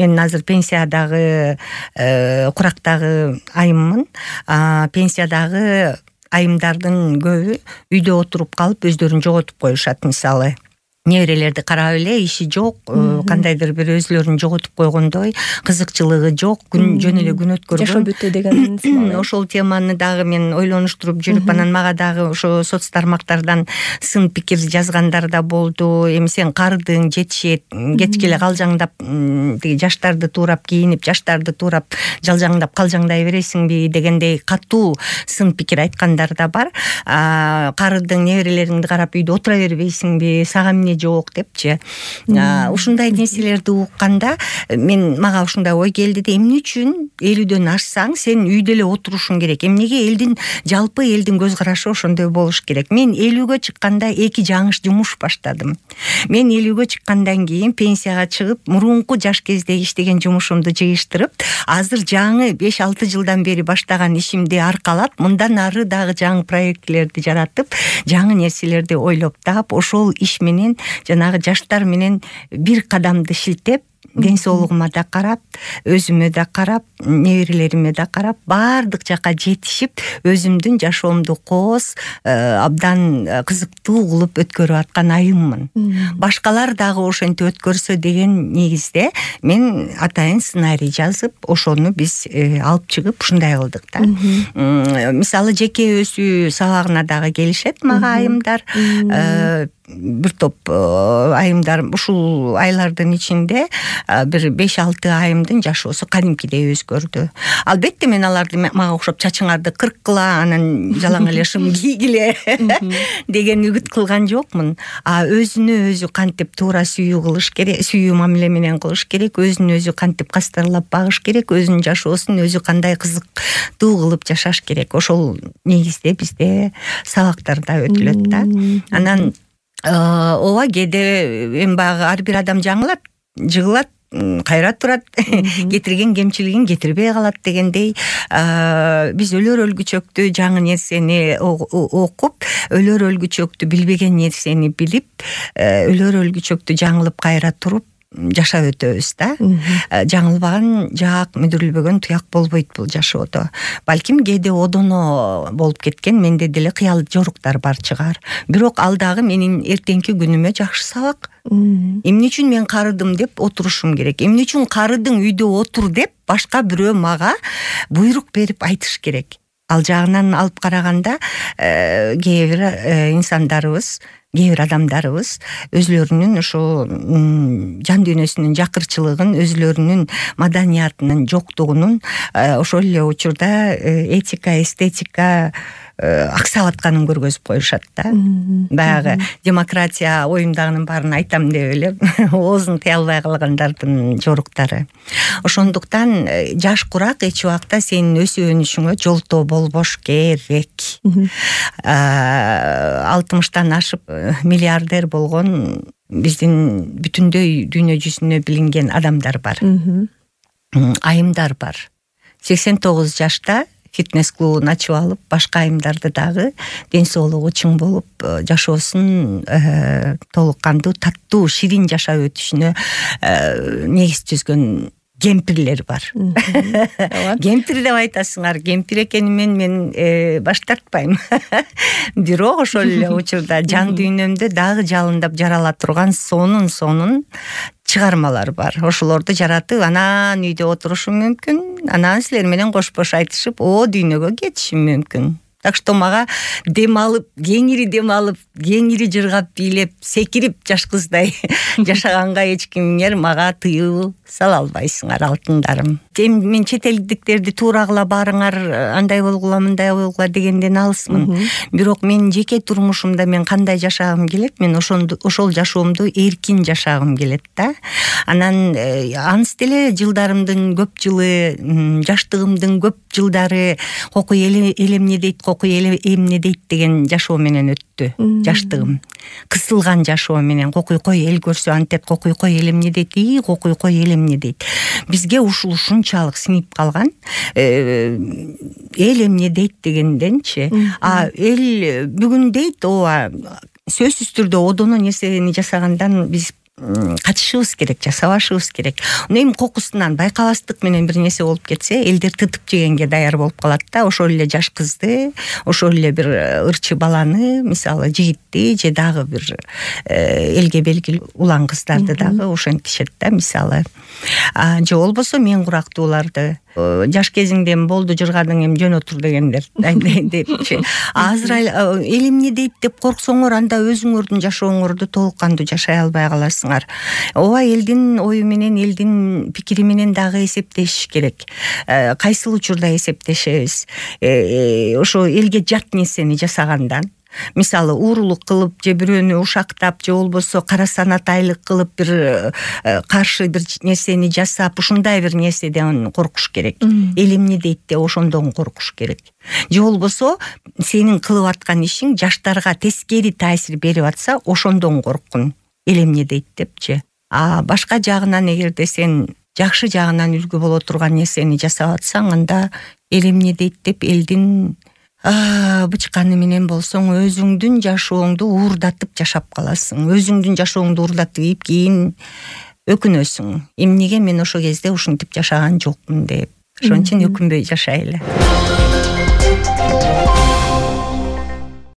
мен азыр пенсиядагы курактагы айыммын. Пенсиядагы айымдардын көбү үйдө отуруп калып өздөрүн жоготуп коюшат. Мисалы неберелерди карап эле иши жок, кандайдыр бир өзүлөрүн жоготуп койгондой, кызыкчылыгы жок, жөн эле күн өткөргөн. Жашоо бүтө деген Ошол теманы дагы мен ойлонуштуруп жүрүп, анан мага дагы ошо соц тармактардан сын пикир жазгандар да болду. Эми сен кардың, жетишет, кечке эле калжаңдап, тиги жаштарды туурап кийинип, жаштарды туурап жалжаңдап калжаңдай бересиңби дегендей катуу сын пикир айткандар да бар. Карыдың, неберелериңди карап үйдө отура бербейсиңби, сага эмне жок депчи. Ушундай нерселерди укканда мага ушундай ой келди да, эмне үчүн 50дөн ашсаң сен үйдө эле отурушуң керек? Эмнеге жалпы элдин көз карашы ошондой болуш керек? Мен 50гө чыкканда 2 жаңыш жумуш баштадым. Мен 50гө чыккандан кийин пенсияга чыгып, мурунку жаш кезде иштеген жумушумду жыйыштырып, азыр жаңы 5-6 жылдан бери баштаган ишимди аркалап, мындан ары дагы жаңы проектлерди жаратып, жаңы нерселерди ойлоп таап, ошол иш менен жанагы жаштар менен бир кадамды шилтеп, ден соолугума да карап, өзүмө да карап, неберелериме да карап, баардык жака жетишип, өзүмдүн жашоомду кооз, абдан кызыктуу кылып өткөрүп аткан айыммын. Башкалар дагы ошентип өткөрсө деген негизде мен атайын сценарий жазып, ошону биз алып чыгып ушундай кылдык да. Мисалы жеке өсүү сабагына дагы келишет мага айымдар. Бир топ айымдар ушул айлардын ичинде бир 5-6 айымдын жашоосу кадимкидей өзгөрдү. Албетте мен аларды мага окшоп чачыңарды кырккыла, анан жалаң эле шым кийгиле деген үгүт кылган жокмун. Өзүнө өзү кантип туура сүйүү кылыш керек, сүйүү мамиле менен кылыш керек, өзүн өзү кантип кастарлап багыш керек, өзүнүн жашоосун өзү кандай кызыктуу кылып жашаш керек. Ошол негизде бизде сабактарда өтүлөт да. Анан ооба кээде эми баягы ар бир адам жаңылат, жыгылат, кайра турат, кетирген кемчилигин кетирбей калат дегендей, биз өлөр өлгүчөктү жаңы нерсени окуп, өлөр өлгүчөктү билбеген нерсени билип, өлөр өлгүчөктү жаңылып кайра туруп жашап өтөбүз да. Жаңылбаган жаак, мүдүрүлбөгөн туяк болбойт бул жашоодо. Балким кээде одоно болуп кеткен менде деле кыял жоруктар бар чыгар. Бирок ал дагы менин эртеңки күнүмө жакшы сабак. Эмне үчүн мен карыдым деп отурушум керек? Эмне үчүн карыдың үйдө отур деп башка бирөө мага буйрук берип айтыш керек? Ал жагынан алып караганда кээ бир инсандарыбыз, кээ бир адамдарыбыз өзүлөрүнүн ошо жан дүйнөсүнүн жакырчылыгын, өзүлөрүнүн маданиятынын жоктугунун ошол эле учурда этика, эстетика аксап атканын көргөзүп коюшат да. Баягы демократия оюмдагынын баарын айтам деп эле оозун тыя албай калгандардын жоруктары. Ошондуктан жаш курак эч убакта сенин өсүп өнүшүңө жолтоо болбош керек. 60-тан ашып миллиардер болгон биздин бүтүндөй дүйнө жүзүнө билинген адамдар бар. Айымдар бар. 89 жашта фитнес-клубун ачып алып, башка айымдарды дагы ден соолугу чың болуп, жашоосун толук кандуу, таттуу, ширин жашап өтүшүнө негиз түзгөн кемпирлер бар. Кемпир деп айтасыңар, кемпир экенимен мен баш тартпайм. Бирок ошол эле учурда жан дүйнөмдө дагы жалындап жарала турган сонун чыгармалар бар. Ошолорду жаратып, анан үйдө отурушум мүмкүн, анан силер менен кош-кош айтышып, дүйнөгө кетишим мүмкүн. Так что мага дем алып, кеңири жыргап бийлеп, секирип жаш кыздай жашаганга эч кимиңер мага тыюу сала албайсыңар, алтындарым. Мен чет элдиктерди туурагыла барыңар, андай болгула, мындай болгула дегенден алысмын. Бирок мен жеке турмушумда мен кандай жашагым келет, мен ошол жашоомду эркин жашагым келет да. Анан анс деле жылдарымдын көп жылы, жаштыгымдын көп жылдары кокуй эл эмне дейт, кокуй эл эмне дейт деген жашоо менен өттү. Жаштыгым кысылган жашоо менен, кокуй кой эл көрсө антет, кокуй кой эл эмне дейт, кокуй кой эл эмне дейт. Бизге ушул ушунчалык сиңип калган, эл эмне дейт дегенденчи. Эл бүгүн дейт, ооба сөзсүз түрдө одоно нерсени жасагандан биз качышыбыз керек, жасабашыбыз керек. Эми кокусунан байкабастык менен бир нерсе болуп кетсе, элдер тытып жегенге даяр болуп калат да. Ошол эле жаш кызды, ошол эле бир ырчы баланы, мисалы жигитти же дагы бир элге белгилүү улан кыздарды дагы ошентишет да, мисалы. Же болбосо мен курактууларды жаш кезиңден болду жырганың эми жөн отур дегендер депчи. Азыр эл эмне дейт деп корксоңор, анда өзүңөрдүн жашооңорду толук кандуу жашай албай каласыңар. Ооба, элдин ою менен, элдин пикири менен дагы эсептешиш керек. Кайсыл учурда эсептешебиз? Ошо элге жат нерсени жасагандан, мисалы уурулук кылып же бирөөнү ушактап же болбосо кара санатайлык кылып бир каршы бир нерсени жасап, ушундай бир нерседен коркуш керек. Эл эмне дейт деп ошондон коркуш керек. Же болбосо сенин кылып аткан ишиң жаштарга тескери таасир берип атса, ошондон корккун. Эл эмне дейт депчи. Башка жагынан эгерде сен жакшы жагынан үлгү боло турган нерсени жасап атсаң, анда эл эмне дейт деп элдин бычканы менен болсоң, өзүңдүн жашооңду уурдатып жашап каласың. Өзүңдүн жашооңду уурдатып кийин өкүнөсүң. Эмнеге мен ошол кезде ушинтип жашаган жокмун деп. Ошон үчүн өкүнбөй жашайлы.